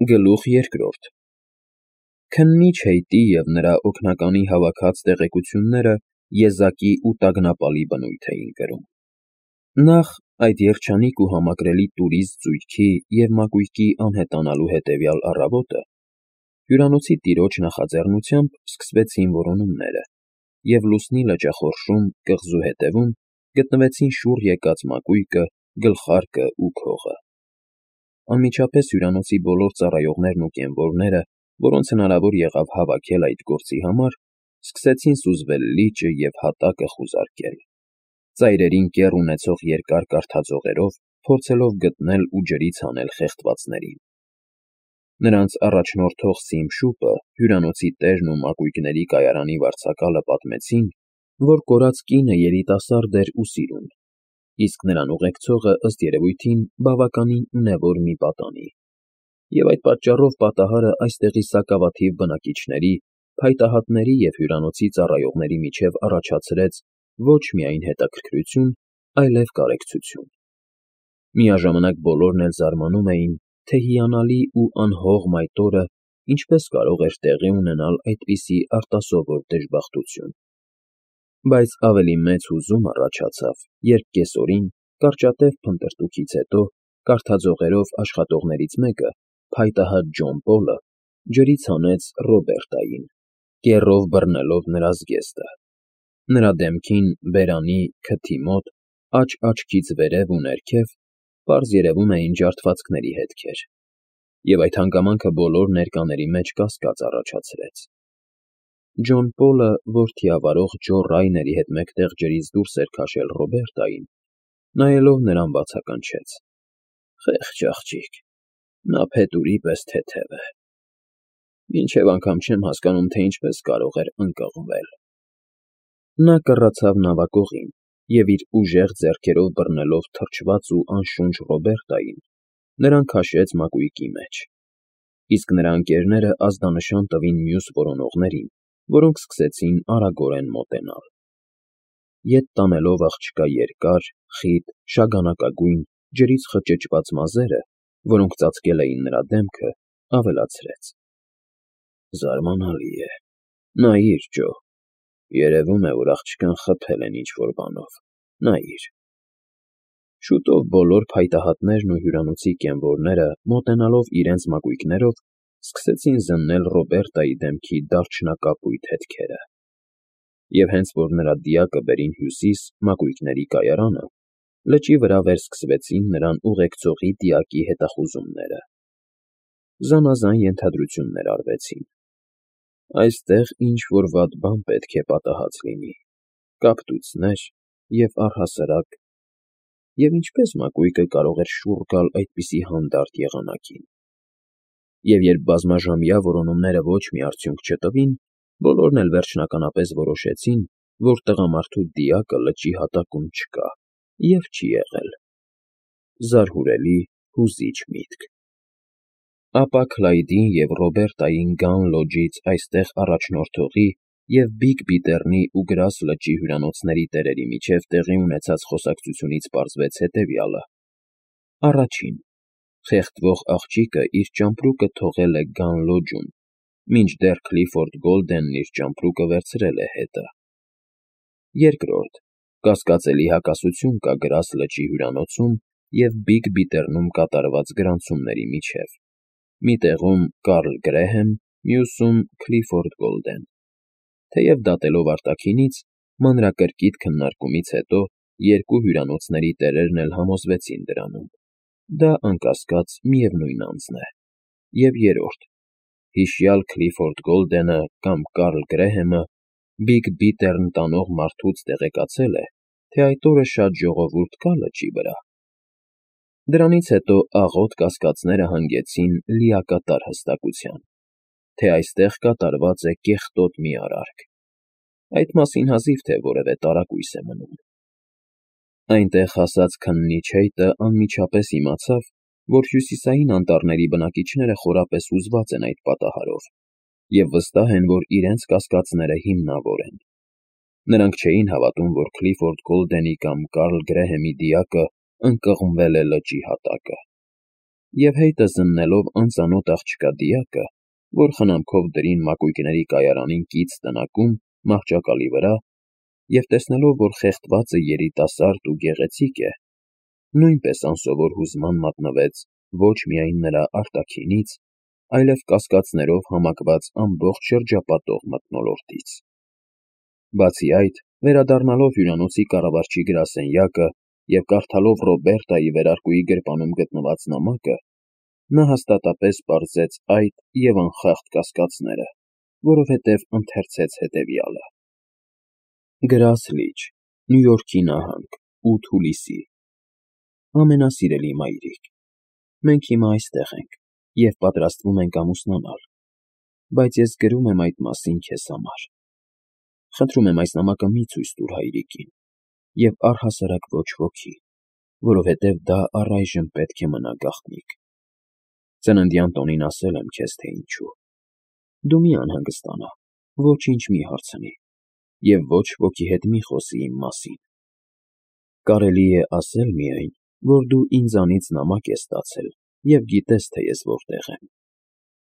Գլուխ երկրորդ Քննիչ Հեյտի և նրա օգնականի հավաքած տեղեկությունները եզակի ու տագնապալի բնույթ էին կրում։ Նախ, այդ երջանիկ ու համակրելի տուրիստ զույգի և մակույկի անհետանալու հետևյալ առավոտը հյուրանոցի տիրոջ նախաձեռնությամբ սկսվեցին որոնումները, և լուսնի լճախորշում, կղզու հետևում գտնվեցին շուռ եկած մակույկը, գլխարկը ու քողը։ Անմիջապես հյուրանոցի բոլոր ծառայողներն ու կենվորները, որոնց հնարավոր եղավ հավաքել այդ գործի համար, սկսեցին սուզվել լիճը և հատակը խուզարկել, ծայրերին կեռ ունեցող երկար կարթաձողերով փորձելով գտնել ու ջրից հանել խեղդվածներին։ Նրանց առաջնորդող Սիմշուպը, հյուրանոցի տերն ու մակույկների կայարանի վարձակալը պատմեցին, որ կորած կինը երիտասարդ էր ու սիրուն, իսկ նրան ուղեկցողը, ըստ երևույթին, բավականին ունևոր մի պատանի, և այդ պատճառով պատահարը այստեղի սակավաթիվ բնակիչների, փայտահատների և հյուրանոցի ծառայողների միջև առաջացրեց ոչ միայն հետաքրքրություն, այլև կարեկցություն։ Միաժամանակ բոլորն էլ զարմանում էին, թե հիանալի ու անհող մայթորը ինչպես կարող էր տեղի ունենալ այդպիսի արտասովոր դժբախտություն։ Բայց ավելի մեծ հուզում առաջացավ, երբ կեսօրին, կարճատև փնտրտուքից հետո, կարթաձողերով աշխատողներից մեկը, փայտահատ Ջոն Պոլը, ջրից հանեց Ռոբերտային, կեռով բռնելով նրա զգեստը։ Նրա դեմքին, բերանի, քթի մոտ, աջ֊աչքից վերև ու ներքև, պարզ երևում էին ջարդվածքների հետքեր, և այդ հանգամանքը բոլոր ներկաների մեջ կասկած առաջացրեց։ Ջոն Պոլը, որ թիավարող Ջո Ռայների հետ մեկտեղ ջրից դուրս էր քաշել Ռոբերտային, նայելով նրան բացականչեց. «Խեղճ աղջիկ, նա փետուրի պես թեթև է։ Մինչև անգամ չեմ հասկանում, թե ինչպես կարող էր ընկղմվել»։ Նա կռացավ նավակողին և իր ուժեղ ձեռքերով բռնելով թրջված ու անշունչ Ռոբերտային, նրան քաշեց մակույկի մեջ, իսկ նրա ընկերները ազդանշան տվին մյուս որոնողներին, որոնք սկսեցին արագորեն մոտենալ։ Ետ տանելով աղջկա երկար, խիտ, շագանակագույն, ջրից խճճված մազերը, որոնք ծածկել էին նրա դեմքը, ավելացրեց. «Զարմանալի է։ Նայիր, Ջո, երևում է, որ աղջկան խփել են ինչ֊որ բանով, նայիր»։ Շուտով բոլոր փայտահատներն ու հյուրանոցի կենվորները, մոտենալով իրենց մակույկներով, սկսեցին զննել Ռոբերտայի դեմքի դարչնակապույտ հետքերը։ Եվ հենց որ նրա դիակը բերին հյուսիս, մակույկների կայարանը, լճի վրա վերսկսվեցին նրան ուղեկցողի դիակի հետախուզումները։ Զանազան ենթադրություններ արվեցին. այստեղ ինչ֊որ վատ բան պետք է պատահած լինի, կապտուцներ և առհասարակ, և ինչպե՞ս մակույկը կարող էր շուռ գալ այդպիսի հանդարտ եղանակին։ Եվ երբ բազմաժամյա որոնումները ոչ մի արդյունք չտվին, բոլորն էլ վերջնականապես որոշեցին, որ տղամարդու դիակը լճի հատակում չկա և չի եղել։ Զարհուրելի, հուզիչ միտք։ Ապա Քլայդին և Ռոբերտային գան լոջից այստեղ առաջնորդողի և Բիգ Բիթեռնի ու Գրաս լճի հյուրանոցների տերերի միջև տեղի ունեցած խոսակցությունից պարզվեց հետևյալը. Առաջին, խեղդվող աղջիկը իր ճամպրուկը թողել է Գան լոջում, մինչդեռ Քլիֆորդ Գոլդենն իր ճամպրուկը վերցրել է հետը։ Երկրորդ, կասկածելի հակասություն կա Գրաս լճի հյուրանոցում և Բիգ Բիթեռնում կատարված գրանցումների միջև, մի տեղում Կարլ Գրեհեմ, մյուսում Քլիֆորդ Գոլդեն։ Թեև դատելով արտաքինից, մանրակրկիտ քննարկումից հետո երկու հյուրանոցների տերերն էլ համոզվեցին դրանում. դա անկասկած միևնույն անձն է։ Եվ երրորդ, հիշյալ Քլիֆորդ Գոլդենը կամ Կարլ Գրեհեմը Բիգ Բիթեռն տանող մարդուց տեղեկացել է, թե այդ օրը շատ ժողովուրդ կա լճի վրա։ Դրանից հետո աղոտ կասկածները հանգեցին լիակատար հստակության, թե այստեղ կատարված է կեղտոտ մի արարք։ Այդ մասին հազիվ թե որևէ տարակույս է մնում։ Այնտեղ հասած քննիչ Հեյտը անմիջապես իմացավ, որ հյուսիսային անտառների բնակիչները խորապես հուզված են այդ պատահարով և վստահ են, որ իրենց կասկածները հիմնավոր են։ Նրանք չէին հավատում, որ Քլիֆորդ Գոլդենի կամ Կարլ Գրեհեմի դիակը ընկղմվել է լճի հատակը։ և հետը զննելով անծանոթ աղջկա դիակը, որ խնամքով դրին մակույկների կայարանին կից տնակում մահճակալի վրա, և տեսնելով, որ խեղդվածը երիտասարդ ու գեղեցիկ է, նույնպես անսովոր հուզման մատնվեց ոչ միայն նրա արտաքինից, այլև կասկածներով համակված ամբողջ շրջապատող մթնոլորտից։ Բացի այդ, վերադառնալով հյուրանոցի կառավարչի գրասենյակը և կարդալով Ռոբերտայի վերարկուի գրպանում գտնված նամակը, նա հաստատապես պարզեց այդ և անխախտ կասկածները, որովհետև ընթերցեց հետևյալը. Գրաս լիճ, Նյու Յորքի նահանգ, 8 հուլիսի։ Ամենասիրելի մայրիկ, մենք հիմա այստեղ ենք և պատրաստվում ենք ամուսնանալ, բայց ես գրում եմ այդ մասին քեզ համար։ Խնդրում եմ այս նամակը մի ցույց տուր հայրիկին և առհասարակ ոչ ոքի, որովհետև դա առայժմ պետք է մնա գաղտնիք։ Ծննդյան տոնին ասել եմ քեզ, թե ինչու։ Դու մի անհանգստանա, ոչինչ մի հարցնի և ոչ ոքի հետ մի խոսի իմ մասին։ Կարելի է ասել միայն, որ դու ինձանից նամակ ես ստացել և գիտես, թե ես որտեղ եմ։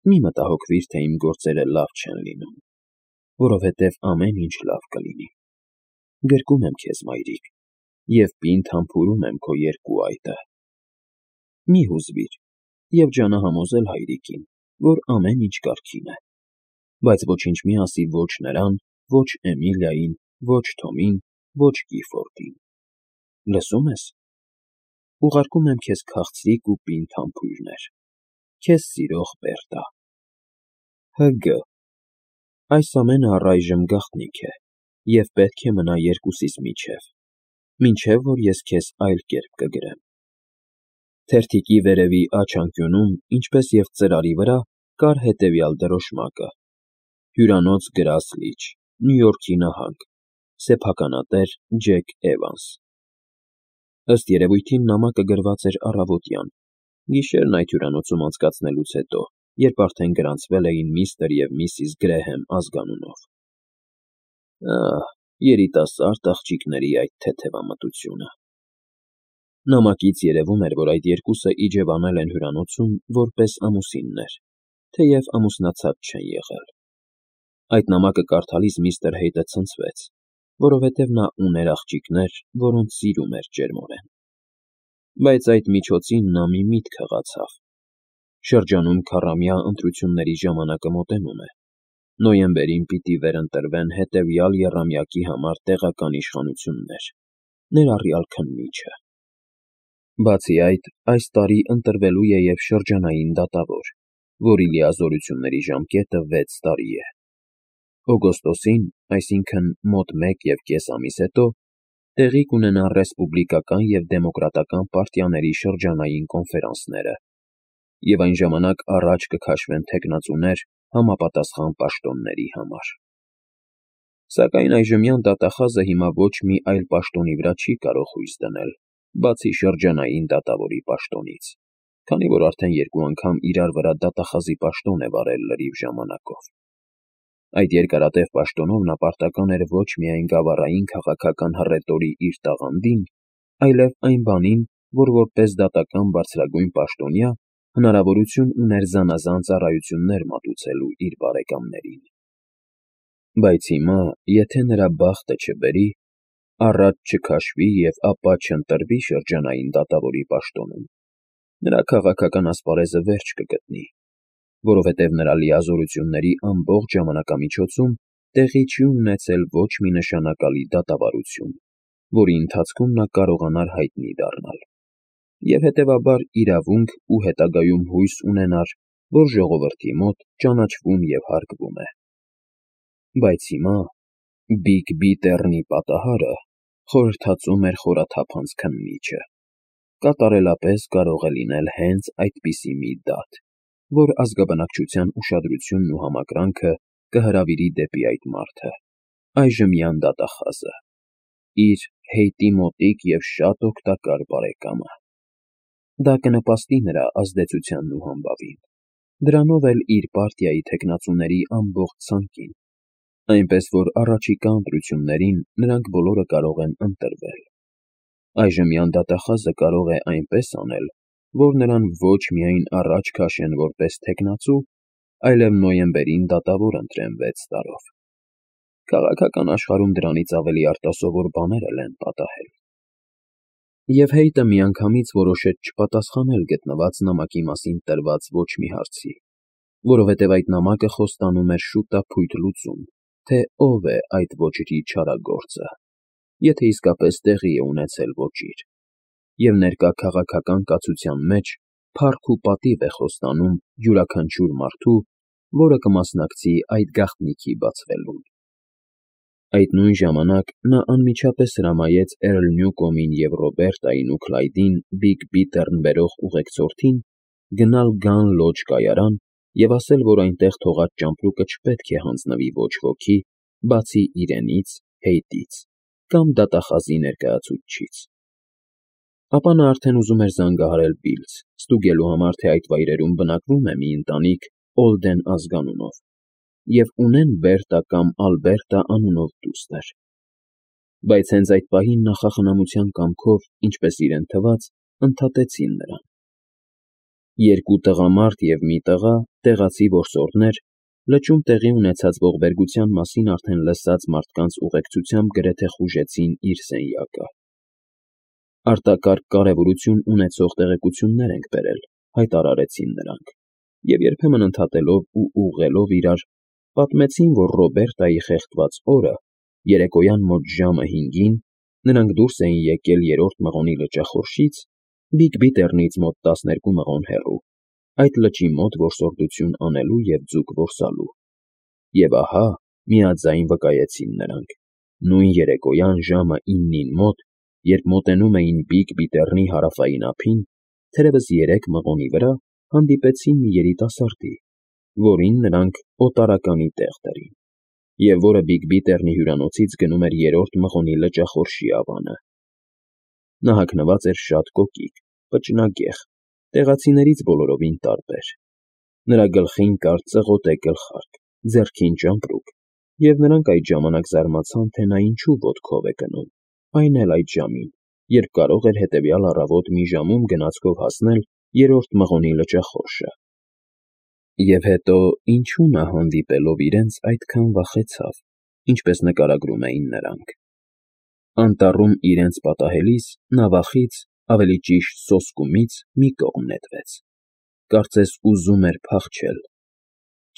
Մի մտահոգվիր, թե իմ գործերը լավ չեն լինում, որովհետև ամեն ինչ լավ կլինի։ Գրկում եմ քեզ, մայրիկ, և պինդ համբուրում եմ քո երկու այտը։ Մի հուզվիր և ջանա համոզել հայրիկին, որ ամեն ինչ կարգին է, բայց ոչինչ մի ասի ոչ նրան, ոչ Էմիլիային, ոչ Թոմին, ոչ Կիֆորդին։ Լսո՞ւմ ես։ Ուղարկում եմ քեզ քաղցրիկ ու պինդ համբույրներ։ Քեզ սիրող Բերտա։ Հ.Գ. Այս ամենը առայժմ գաղտնիք է և պետք է մնա երկուսիս միջև, մինչև որ ես քեզ այլ կերպ կգրեմ։ Թերթիկի վերևի աջ անկյունում, ինչպես և ծրարի վրա, կար հետևյալ դրոշմակը. Հյուրանոց Գրաս լիճ, Նյու Յորքի նահանգ, սեփականատեր Ջեք Էվանս։ Ըստ երևույթին նամակը գրված էր առավոտյան, գիշերն այդ հյուրանոցում անցկացնելուց հետո, երբ արդեն գրանցվել էին միստր և միսիս Գրեհեմ ազգանունով։ Ահ, երիտասարդ աղջիկների այդ թեթևամտությունը։ Նամակից երևում էր, որ այդ երկուսը իջևանել են հյուրանոցում որպես ամուսիններ, թեև ամուսնացած չեն եղել։ Այդ նամակը կարդալիս միստր Հեյթը ցնցվեց, որովհետև նա ուներ աղջիկներ, որոնց սիրում էր ջերմորեն։ Բայց այդ միջոցին նա մի միտք հղացավ. շրջանում քառամյա ընտրությունների ժամանակը մոտենում է։ Նոյեմբերին պիտի վերընտրվեն հետևյալ եռամյակի համար տեղական իշխանություններ, ներառյալ քննիչը։ Բացի այդ, այս տարի ընտրվելու է և շրջանային դատավոր, որի լիազորությունների ժամկետը 6 տարի է։ Օգոստոսին, այսինքն մոտ 1,5 ամիս հետո, տեղի կունենան ռեսպուբլիկական և դեմոկրատական պարտիաների շրջանային կոնֆերանսները, և այն ժամանակ առաջ կքաշվեն թեկնածուներ համապատասխան պաշտոնների համար։ Սակայն այժմյան դատախազը հիմա ոչ մի այլ պաշտոնի վրա չի կարող հույս դնել, բացի շրջանային դատավորի պաշտոնից, քանի որ արդեն 2 անգամ իրար վրա դատախազի պաշտոն է վարել լրիվ ժամանակով։ Այդ երկարատև պաշտոնով նա պարտական էր ոչ միայն գավառային քաղաքական հռետորի իր տաղանդին, այլև այն բանին, որ որպես դատական բարձրագույն պաշտոնյա հնարավորություն ուներ զանազան ծառայություններ մատուցելու իր բարեկամներին։ Բայց հիմա, եթե նրա բախտը չբերի, առաջ չքաշվի և ապա չընտրվի շրջանային դատավորի պաշտոնում, նրա քաղաքական ասպարեզը վերջ կգտնի, որովհետև նրա լիազորությունների ամբողջ ժամանակամիջոցում տեղի չի ունեցել ոչ մի նշանակալի դատավարություն, որի ընթացքում նա կարողանար հայտնի դառնալ, և հետևաբար իրավունք ու հետագայում հույս ունենար, որ ժողովրդի մոտ ճանաչվում և հարգվում է։ Բայց հիմա Բիգբի Տեռնի պատահարը խորհրդածում էր խորաթափանց քննիչը։ Կատարելապես կարող է լինել հենց այդպիսի մի դատ, որ ազգաբնակչության ուշադրությունն ու համակրանքը կհրավիրի դեպի այդ մարդը, այժմյան դատախազը, իր Հեյթի մոտիկ և շատ օգտակար բարեկամը։ Դա կնպաստի նրա ազդեցությանն ու համբավին, դրանով էլ իր պարտիայի թեկնածուների ամբողջ ցանկին, այնպես որ առաջիկա ընտրություններին նրանք բոլորը կարող են ընտրվել։ Այժմյան դատախազը կարող է այնպես անել, որ նրան ոչ միայն առաջ քաշեն որպես թեկնածու, այլև նոյեմբերին դատավոր ընտրեն 6 տարով։ Քաղաքական աշխարհում դրանից ավելի արտասովոր բաներ էլ են պատահել։ Եվ Հեյտը միանգամից որոշեց չպատասխանել գտնված նամակի մասին տրված ոչ մի հարցի, որովհետև այդ նամակը խոստանում էր շուտափույթ լուծում, թե ով է այդ ոչրի չարագործը, եթե իսկապես տեղի է ունեցել ոճիր, և ներկա քաղաքական կացության մեջ փառք ու պատիվ է խոստանում յուրաքանչյուր մարդու, որը կմասնակցի այդ գաղտնիքի բացվելուն։ Այդ նույն ժամանակ նա անմիջապես հրամայեց Էրլ Նյուկոմին և Ռոբերտային ու Քլայդին Բիգ Բիթեռն բերող ուղեկցորդին գնալ Գան Լոջ կայարան և ասել, որ այնտեղ թողած ճամպրուկը չպետք է հանձնվի ոչ ոքի, բացի իրենից, Հեյտից կամ դատախազի ներկայացուցչից։ Ապա նա արդեն ուզում էր զանգահարել Բիլզ, ստուգելու համար, թե այդ վայրերում բնակվում է մի ընտանիք Օլդեն ազգանունով, և ունեն Բերտա կամ Ալբերտա անունով դուստր։ Բայց հենց այդ պահին նախախնամության կամքով, ինչպես իրեն թվաց, ընդհատեցին նրան։ 2 տղամարդ և մի տղա, տեղացի որսորդներ, լճում տեղի ունեցած ողբերգության մասին արդեն լսած մարդկանց ուղեկցությամբ գրեթե խուժեցին իր սենյակը։ Արտակարգ կարևորություն ունեցող տեղեկություններ ենք բերել, հայտարարեցին նրանք, և երբեմն ընդհատելով ու ուղղելով իրար, պատմեցին, որ Ռոբերտայի խեղդված օրը, երեկոյան մոտ ժամը 5-ին, նրանք դուրս էին եկել 3-րդ մղոնի լճախորշից, Բիգ Բիթեռնից մոտ 12 մղոն հեռու, այդ լճի մոտ որսորդություն անելու և ձուկ որսալու։ Եվ ահա, միաձայն վկայեցին նրանք, նույն երեկոյան ժամը 9-ին մոտ, երբ մոտենում էին Բիգ Բիթեռնի հարավային ափին, թերևս 3 մղոնի վրա հանդիպեցին մի երիտասարդի, որին նրանք օտարականի տեղ դրին, և որը Բիգ Բիթեռնի հյուրանոցից գնում էր 3-րդ մղոնի լճախորշի ավանը։ Նա հագնված էր շատ կոկիկ, պճնագեղ, տեղացիներից բոլորովին տարբեր։ Նրա գլխին կար ծղոտե գլխարկ, ձեռքին ճամպրուկ, և նրանք այդ ժամանակ զարմացան, թե նա ինչու ոտքով է գնում, այն էլ այդ ժամին, երբ կարող էր հետևյալ առավոտ մի ժամում գնացքով հասնել 3-րդ մղոնի լճախորշը։ Եվ հետո ինչու նա հանդիպելով իրենց այդքան վախեցավ, ինչպես նկարագրում էին նրանք։ Անտառում իրենց պատահելիս նա վախից, ավելի ճիշտ սոսկումից, մի կողմ նետվեց, կարծես ուզում էր փախչել։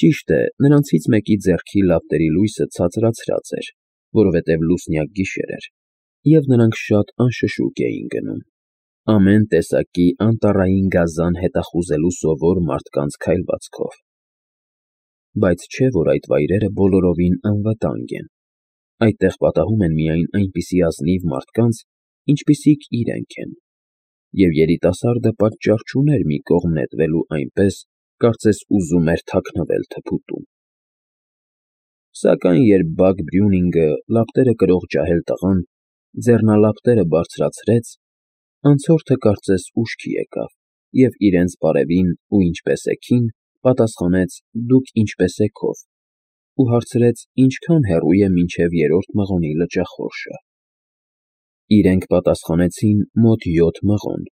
Ճիշտ է, նրանցից մեկի ձեռքի լապտերի լույսը ցածրացրած էր, որովհետև լուսնյակ գիշեր էր, և նրանք շատ անշշուկ էին գնում, ամեն տեսակի անտառային գազան հետախուզելու սովոր մարդկանց քայլվածքով։ Բայց չէ՞ որ այդ վայրերը բոլորովին անվտանգ են, այդտեղ պատահում են միայն այնպիսի ազնիվ մարդկանց, ինչպիսիք իրենք են, և երիտասարդը պատճառ չուներ մի կողմ նետվելու այնպես, կարծես ուզում էր թաքնվել թփուտում։ Սակայն երբ Բագ Բրյունինգը, լապտերը կրող ջահել տղան, ձեռնալապտերը բարձրացրեց, անցորդը կարծես ուշքի եկավ և իրենց բարևին ու ինչպե՞ս եք-ին պատասխանեց «Դուք ինչպե՞ս եք»-ով ու հարցրեց ինչքան հեռու է մինչև 3-րդ մղոնի լճախորշը։ Իրենք պատասխանեցին մոտ 7 մղոն,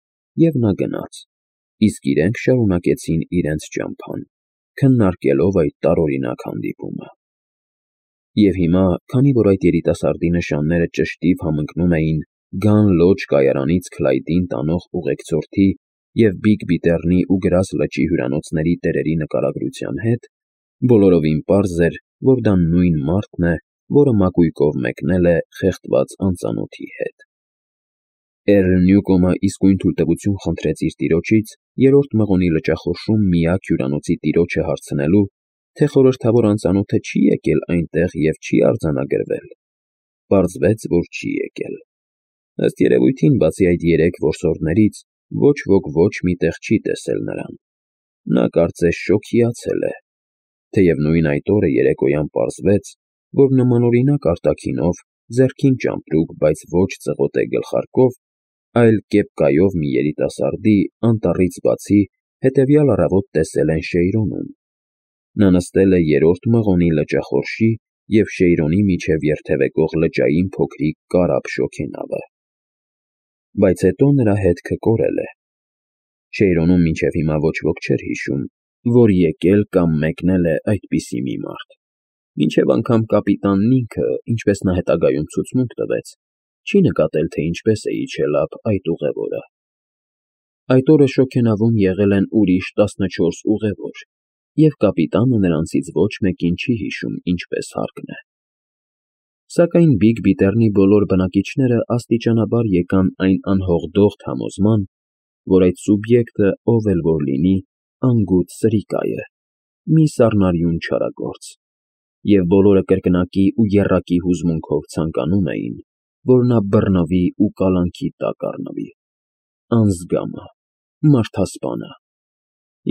և նա գնաց, իսկ իրենք շարունակեցին իրենց ճամփան, քննարկելով այդ տարօրինակ հանդիպումը։ Եվ հիմա, քանի որ այդ երիտասարդի նշանները ճշտիվ համընկնում էին Գան Լոջ կայարանից Քլայդին տանող ուղեկցորդի և Բիգ Բիթեռնի ու Գրազ լճի հյուրանոցների տերերի նկարագրության հետ, բոլորովին պարզ էր, որ դա նույն մարդն է, որը մակույկով մեկնել է խեղդված անծանոթի հետ։ Էրլ Նյուկոմը իսկույն թույլտվություն խնդրեց իր տիրոջից 3-րդ մղոնի լճախորշում միակ հյուրանոցի տիրոջը հարցնելու, թե խորհրդավոր անծանոթը չի եկել այնտեղ և չի արձանագրվել։ Պարզվեց, որ չի եկել։ Ըստ երևույթին, բացի այդ 3 որսորդներից, ոչ ոք ոչ մի տեղ չի տեսել նրան։ Նա կարծես շոգիացել է, թեև նույն այդ օրը երեկոյան պարզվեց, որ նմանօրինակ արտաքինով, ձեռքին ճամպրուկ, բայց ոչ ծղոտե գլխարկով, այլ կեպկայով մի երիտասարդի անտառից բացի հետևյալ առավոտ տեսել են Շեյրոնում։ Նա նստել է 3-րդ մղոնի լճախորշի և Շեյրոնի միջև երթևեկող լճային փոքրիկ կարապ շոգենավը։ Բայց հետո նրա հետքը կորել է։ Շեյրոնում մինչև հիմա ոչ ոք չէր հիշում, որ եկել կամ մեկնել է այդպիսի մի մարդ, մինչև անգամ կապիտանն ինքը, ինչպես նա հետագայում ցուցմունք տվեց, չի նկատել, թե ինչպես է իջել ափ այդ ուղևորը։ Այդ օրը շոգենավում եղել են ուրիշ 14 ուղևոր, և կապիտանը նրանցից ոչ մեկին չի հիշում ինչպես հարկն է։ Սակայն Բիգ Բիթեռնի բոլոր բնակիչները աստիճանաբար եկան այն անհողդողդ համոզման, որ այդ սուբյեկտը, ով էլ որ լինի, անգութ սրիկա է, մի սառնարյուն չարագործ, և բոլորը կրկնակի ու եռակի հուզմունքով ցանկանում էին, որ նա բռնվի ու կալանքի տակ առնվի, անզգամը, մարդասպանը,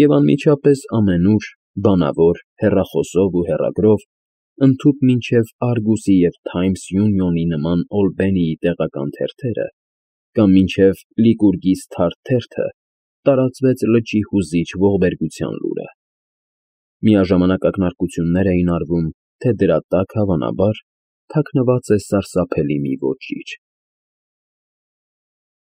և անմիջապես ամենուր, բանավոր, հեռախոսով ու հեռագրով, ընդհուպ մինչև Արգուսի և Թայմս Յունիոնի նման Օլբենիի տեղական թերթերը կամ մինչև Լիկուրգիս թարթ թերթը տարածվեց լճի հուզիչ ողբերգության լուրը։ Միաժամանակ ակնարկություններ էին արվում, թե դրա տակ, հավանաբար, թաքնված է սարսափելի մի ոճիր։